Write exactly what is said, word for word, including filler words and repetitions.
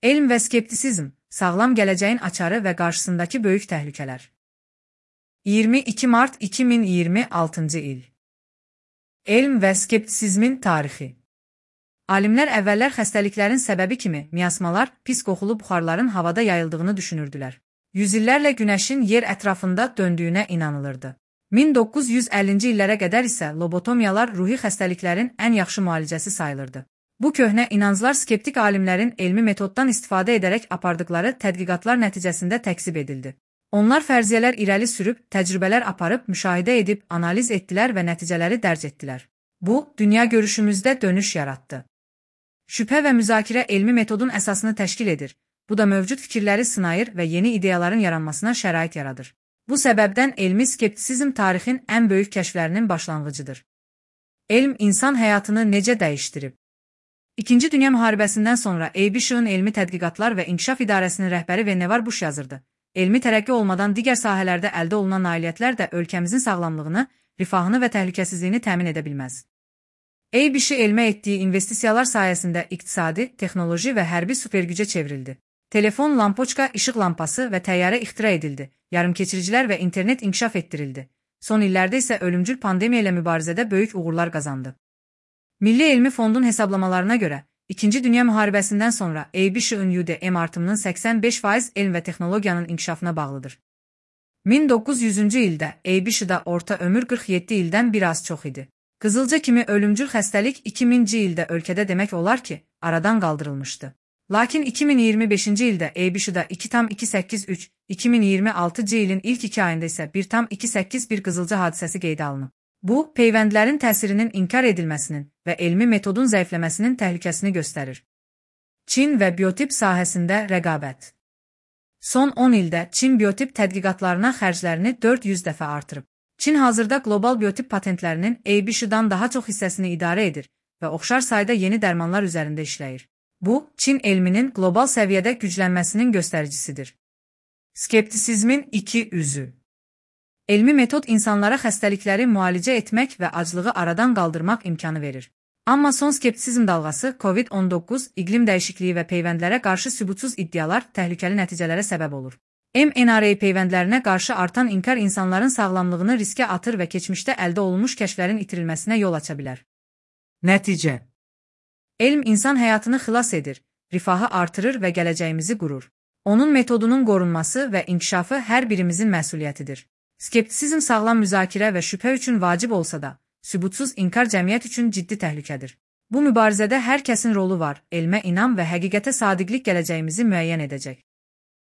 Elm və skeptisizm, sağlam gələcəyin açarı və qarşısındakı böyük təhlükələr. iyirmi iki mart iki min iyirmi altıncı il. Elm və skeptisizmin tarixi. Alimlər əvvəllər xəstəliklərin səbəbi kimi miasmalar, pis qoxulu buxarların havada yayıldığını düşünürdülər. Yüzillərlə günəşin yer ətrafında döndüyünə inanılırdı. min doqquz yüz əllinci illərə qədər isə lobotomiyalar ruhi xəstəliklərin ən yaxşı müalicəsi sayılırdı. Bu köhnə inanclar skeptik alimlərin elmi metoddan istifadə edərək apardıqları tədqiqatlar nəticəsində təkzib edildi. Onlar fərziyyələr irəli sürüb, təcrübələr aparıb, müşahidə edib, analiz etdilər və nəticələri dərc etdilər. Bu, dünya görüşümüzdə dönüş yaratdı. Şübhə və müzakirə elmi metodun əsasını təşkil edir. Bu da mövcud fikirləri sınayır və yeni ideyaların yaranmasına şərait yaradır. Bu səbəbdən elmi skeptisizm tarixin ən böyük kəşflərinin başlanğıcıdır. Elm insan həyatını necə dəyişdirib? İkinci Dünya müharibəsindən sonra A B S-ın elmi tədqiqatlar və inkişaf idarəsinin rəhbəri Vannevar Bush yazırdı. Elmi tərəqqi olmadan digər sahələrdə əldə olunan nailiyyətlər də ölkəmizin sağlamlığını, rifahını və təhlükəsizliyini təmin edə bilməz. A B S elmə etdiyi investisiyalar sayəsində iqtisadi, texnoloji və hərbi supergücə çevrildi. Telefon, lampoçka, işıq lampası və təyyarə ixtira edildi. Yarımkeçiricilər və internet inkişaf etdirildi. Son illərdə isə ölümcül pandemiya ilə mübarizədə böyük uğurlar qazandı. Milli Elmi Fondun hesablamalarına görə, İkinci Dünya müharibəsindən sonra A B S-ın U D M artımının səksən beş faiz elm və texnologiyanın inkişafına bağlıdır. min doqquz yüzüncü ildə A B S-da orta ömür qırx yeddi ildən bir az çox idi. Qızılca kimi ölümcül xəstəlik iki minci ildə ölkədə demək olar ki, aradan qaldırılmışdı. Lakin iki min iyirmi beşinci ildə A B S-da iki tam iki səkkiz üç, iki min iyirmi altıncı ilin ilk iki ayında isə bir tam iki səkkiz bir qızılca hadisəsi qeydə alınıb. Bu, peyvəndlərin təsirinin inkar edilməsinin və elmi metodun zəifləməsinin təhlükəsini göstərir. Çin və biotip sahəsində rəqabət. Son on ildə Çin biotip tədqiqatlarına xərclərini dörd yüz dəfə artırıb. Çin hazırda qlobal biotip patentlərinin A B S-dan daha çox hissəsini idarə edir və oxşar sayda yeni dərmanlar üzərində işləyir. Bu, Çin elminin qlobal səviyyədə güclənməsinin göstəricisidir. Skeptisizmin iki üzü. Elmi metod insanlara xəstəlikləri müalicə etmək və aclığı aradan qaldırmaq imkanı verir. Amma son skeptisizm dalğası COVID on doqquz, iqlim dəyişikliyi və peyvəndlərə qarşı sübutsuz iddialar təhlükəli nəticələrə səbəb olur. M N R A peyvəndlərinə qarşı artan inkar insanların sağlamlığını riskə atır və keçmişdə əldə olunmuş kəşflərin itirilməsinə yol aça bilər. Nəticə. Elm insan həyatını xilas edir, rifahı artırır və gələcəyimizi qurur. Onun metodunun qorunması və inkişafı hər birimizin məsuliyyətidir. Skeptisizm sağlam müzakirə və şübhə üçün vacib olsa da, sübutsuz inkar cəmiyyət üçün ciddi təhlükədir. Bu mübarizədə hər kəsin rolu var, elmə inam və həqiqətə sadiqlik gələcəyimizi müəyyən edəcək.